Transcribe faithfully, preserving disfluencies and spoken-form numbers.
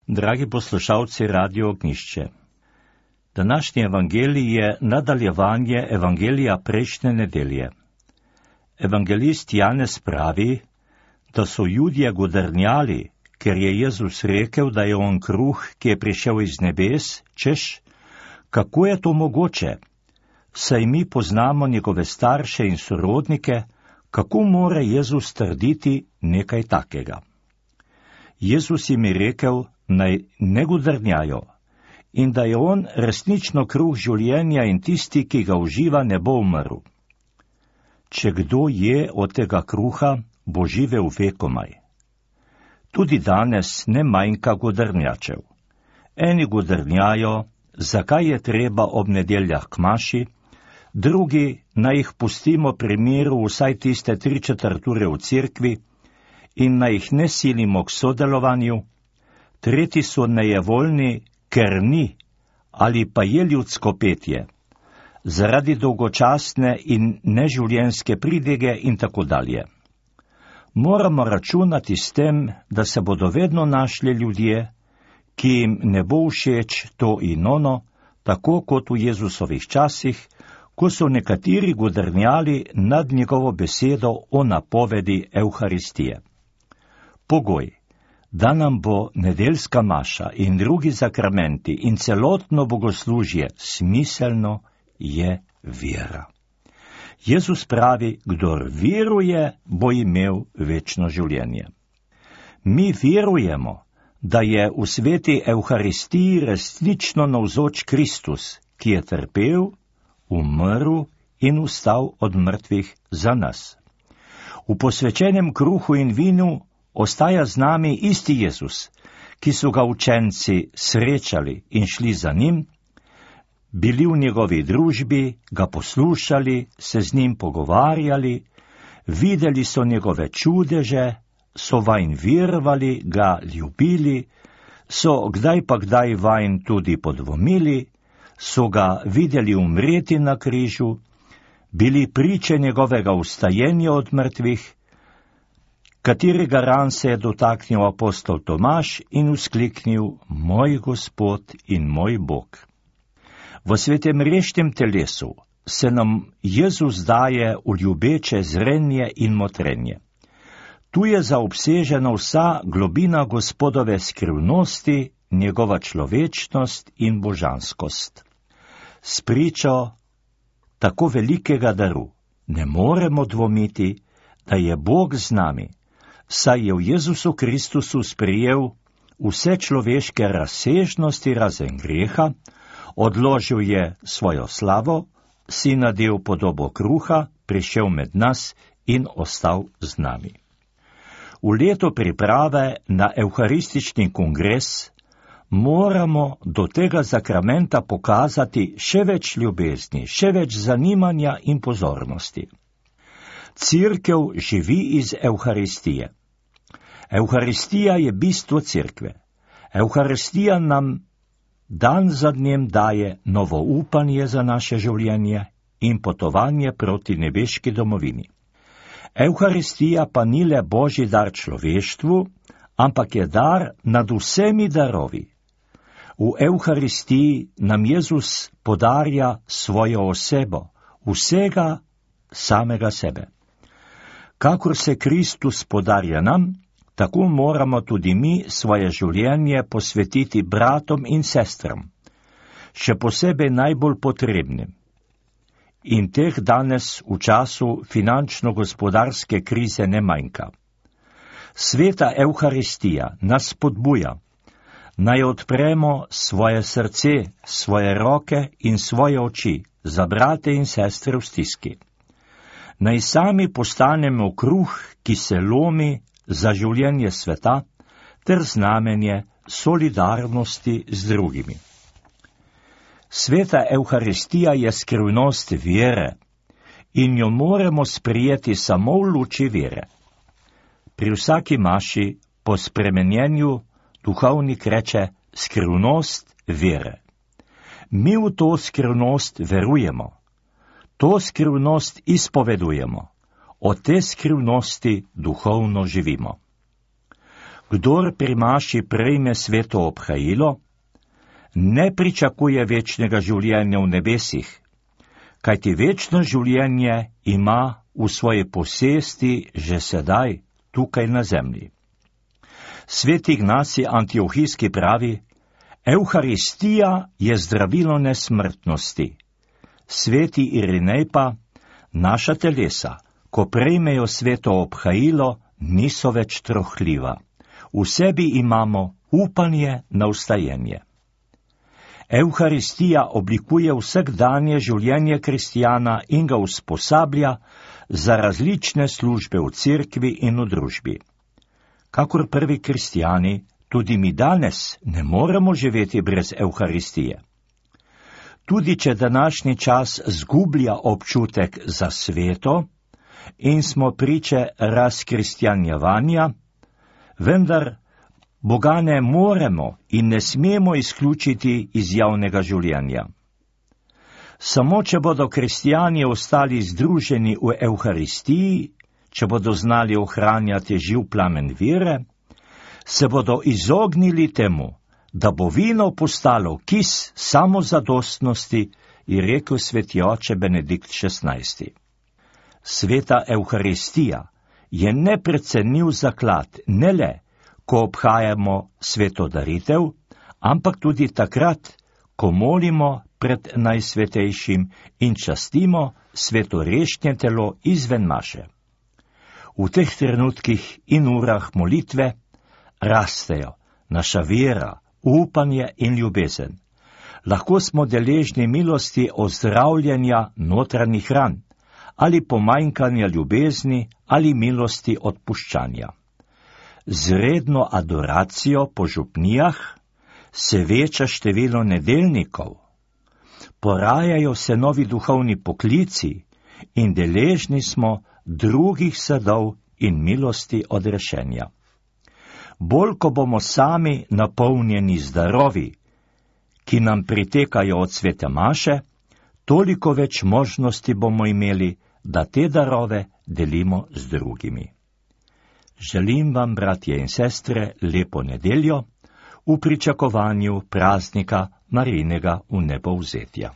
Dragi poslušalci Radio Ognjišče, današnji evangelij je nadaljevanje evangelija prejšnje nedelje. Evangelist Janez pravi, da so Judje godrnjali, ker je Jezus rekel, da je on kruh, ki je prišel iz nebes, češ, kako je to mogoče? Saj mi poznamo njegove starše in sorodnike, kako more Jezus trditi nekaj takega? Jezus jim je rekel, naj ne godrnjajo in da je on resnično kruh življenja in tisti, ki ga uživa, ne bo umrl. Če kdo je od tega kruha, bo živel vekomaj. Tudi danes ne manjka godrnjačev. Eni godrnjajo, zakaj je treba ob nedeljah k maši, drugi naj jih pustimo pri miru vsaj tiste tri četrt ure v cerkvi in naj jih ne silimo k sodelovanju, tretji so nejevoljni, ker ni, ali pa je ljudsko petje, zaradi dolgočasne in neživljenjske pridige in tako dalje. Moramo računati s tem, da se bodo vedno našli ljudje, ki jim ne bo všeč to in ono, tako kot v Jezusovih časih, ko so nekateri godrnjali nad njegovo besedo o napovedi Evharistije. Pogoj, da nam bo nedeljska maša in drugi sakramenti in celotno bogoslužje smiselno, je vera. Jezus pravi, kdor veruje, bo imel večno življenje. Mi verujemo, da je v sveti Evharistiji resnično navzoč Kristus, ki je trpel, umrl in vstal od mrtvih za nas. V posvečenem kruhu in vinu ostaja z nami isti Jezus, ki so ga učenci srečali in šli za njim, bili v njegovi družbi, ga poslušali, se z njim pogovarjali, videli so njegove čudeže, so vanj verovali, ga ljubili, so kdaj pa kdaj vanj tudi podvomili, so ga videli umreti na križu, bili priče njegovega vstajenja od mrtvih, katerega ran se je dotaknil apostol Tomaž in vzkliknil, moj Gospod in moj Bog. V svetem reštem telesu se nam Jezus daje v ljubeče zrenje in motrenje. Tu je zaobsežena vsa globina Gospodove skrivnosti, njegova človečnost in božanskost. S pričo tako velikega daru ne moremo dvomiti, da je Bog z nami, saj je v Jezusu Kristusu sprejel vse človeške razsežnosti razen greha, odložil je svojo slavo, si nadel podobo kruha, prišel med nas in ostal z nami. V leto priprave na evharistični kongres moramo do tega sakramenta pokazati še več ljubezni, še več zanimanja in pozornosti. Cerkev živi iz Evharistije. Evharistija je bistvo cerkve. Evharistija nam dan za dnem daje novo upanje za naše življenje in potovanje proti nebeški domovini. Evharistija pa ni le božji dar človeštvu, ampak je dar nad vsemi darovi. V Evharistiji nam Jezus podarja svojo osebo, vsega samega sebe. Kakor se Kristus podarja nam, tako moramo tudi mi svoje življenje posvetiti bratom in sestram, še posebej najbolj potrebnim. In teh danes v času finančno-gospodarske krize ne manjka. Sveta Evharistija nas spodbuja, naj odpremo svoje srce, svoje roke in svoje oči za brate in sestre v stiski. Naj sami postanemo kruh, ki se lomi za življenje sveta, ter znamenje solidarnosti z drugimi. Sveta Evharistija je skrivnost vere in jo moramo sprijeti samo v luči vere. Pri vsaki maši po spremenjenju duhovnik reče skrivnost vere. Mi v to skrivnost verujemo, to skrivnost izpovedujemo, od te skrivnosti duhovno živimo. Kdor pri maši prejme sveto obhajilo, ne pričakuje večnega življenja v nebesih, kajti večno življenje ima v svoji posesti že sedaj, tukaj na zemlji. Sveti Ignacij Antiohijski pravi, Evharistija je zdravilo nesmrtnosti. Sveti Irinej pa, naša telesa, ko prejmejo sveto obhajilo, niso več trohljiva. V sebi imamo upanje na vstajenje. Evharistija oblikuje vsakdanje življenje kristjana in ga usposablja za različne službe v cerkvi in v družbi. Kakor prvi kristjani, tudi mi danes ne moremo živeti brez Evharistije. Tudi če današnji čas zgublja občutek za sveto in smo priče razkristjanjevanja, vendar Boga ne moremo in ne smemo izključiti iz javnega življenja. Samo če bodo kristjani ostali združeni v Evharistiji, če bodo znali ohranjati živ plamen vere, se bodo izognili temu, da bo vino postalo kis samozadostnosti, je rekel sveti oče Benedikt šestnajsti. Sveta Evharistija je neprecenljiv zaklad, ne le, ko obhajamo sveto daritev, ampak tudi takrat, ko molimo pred najsvetejšim in častimo svetorešnje telo izven maše. V teh trenutkih in urah molitve rastejo naša vera, upanje in ljubezen. Lahko smo deležni milosti ozdravljenja notranjih ran, ali pomanjkanja ljubezni, ali milosti odpuščanja. Z redno adoracijo po župnijah se veča število nedeljnikov, porajajo se novi duhovni poklici in deležni smo drugih sadov in milosti odrešenja. Bolj, ko bomo sami napolnjeni z darovi, ki nam pritekajo od svete maše, toliko več možnosti bomo imeli, da te darove delimo z drugimi. Želim vam, bratje in sestre, lepo nedeljo v pričakovanju praznika Marijinega vnebovzetja.